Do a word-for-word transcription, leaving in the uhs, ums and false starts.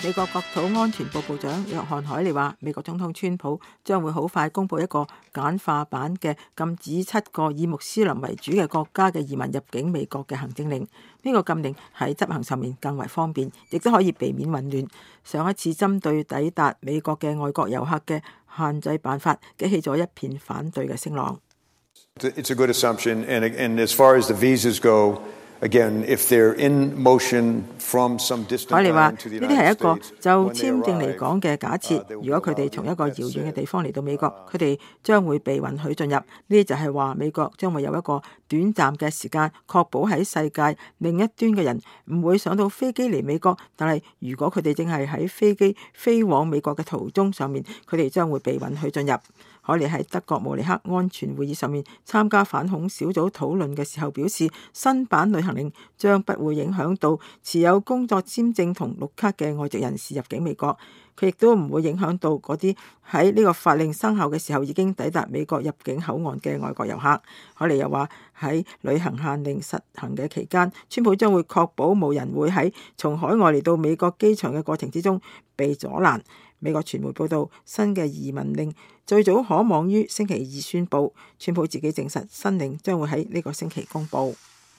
美國國土安全部部長約翰凱利話，美國總統川普將會好快公布一個簡化版嘅禁止七個以穆斯林為主嘅國家嘅移民入境美國嘅行政令。呢個禁令喺執行上面更為方便，亦都可以避免混亂。上一次針對抵達美國嘅外國遊客嘅限制辦法，激起咗一片反對嘅聲浪。It's a good assumption, and, and as far as the visas go, Again, if they're in motion from some distant land to the United States, 呢啲係一個就簽證嚟講嘅假設。如果佢哋從一個遙遠嘅地方嚟到美國，佢哋將會被允許進入。呢啲就係話美國將會有一個短暫嘅時間，確保喺世界另一端嘅人唔會上到飛機嚟美國。但係如果佢哋正係喺飛機飛往美國嘅途中上面，佢哋將會被允許進入。凱利喺德國慕尼黑安全會議上面參加反恐小組討論嘅時候表示，新版旅行令將不會影響到持有工作簽證同綠卡嘅外籍人士入境美國，佢亦都唔會影響到嗰啲喺呢個法令生效嘅時候已經抵達美國入境口岸嘅外國遊客。凱利又話喺旅行限令實行嘅期間，川普將會確保冇人會喺從海外嚟到美國機場嘅過程之中被阻攔。美國傳媒報道，新嘅移民令最早可望於星期二宣佈，川普自己證實新令將會喺呢個星期公佈。